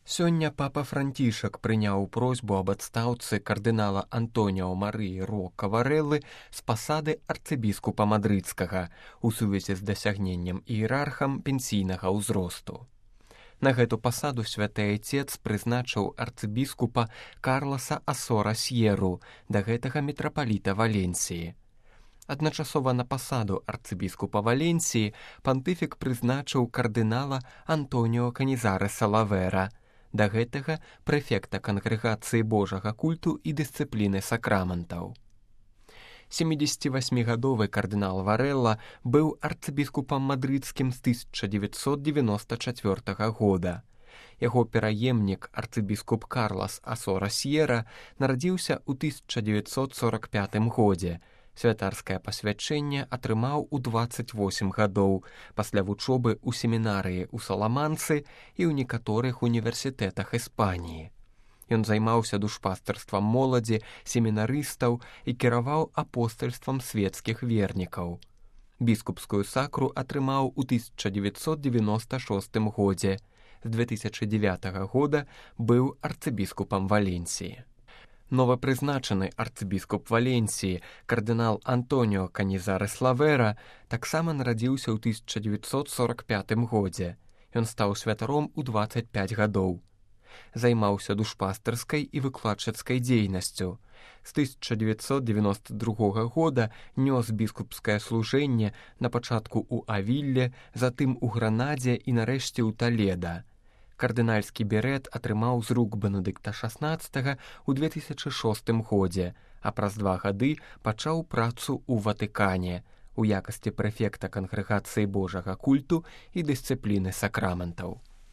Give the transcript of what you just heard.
Сёння папа Францішак прыняў просьбу аб адстаўцы кардынала Антоніо Марыі Рока Варэллы з пасады арцыбіскупа мадрыдскага у сувязі з дасягненнем іерархам пенсійнага ўзросту. На гэту пасаду святы айцец прызначыў арцыбіскупа Карласа Асора Сьеру, да гэтага мітрапаліта Валенсіі. Адначасова на пасаду арцыбіскупа Валенсіі пантыфік прызначыў кардынала Антоніо Канізареса Лавера, да гэтага прэфекта Кангрэгацыі Божага культу і дысцыпліны сакраментаў. 78-гадовы кардынал Варэлла быў арцыбіскупам мадрыдскім з 1994 года. Яго пераемнік арцыбіскуп Карлас Асора Сьера нарадзіўся ў 1945 годзе. Святарскае пасвячэнне атрымаў у 28 гадоў пасля вучобы ў семінарыі ў Саламанцы і ў некаторых універсітэтах Іспаніі. Ён займаўся душпастарствам моладзі, семінарыстаў і кіраваў апостальствам свецкіх вернікаў. Біскупскую сакру атрымаў у 1996 годзе. З 2009 года быў арцыбіскупам Валенсіі. Новапрызначаны арцыбіскуп Валенсіі, кардынал Антоніо Канізарес Лавера, таксама нарадзіўся ў 1945 годзе. Ён стаў святаром у 25 гадоў. Займаўся душпастарскай і выкладчыцкай дзейнасцю. З 1992 года нёс біскупскае служэнне на пачатку ў Авілле, затым у Гранадзе і нарэшце ў Таледа. Кардынальскі берэт атрымаў з рук Бенедыкта XVI ў 2006 годзе, а праз 2 гады пачаў працу ў Ватыкане у якасці прэфекта Кангрэгацыі Божага культу і дысцыпліны сакраментаў.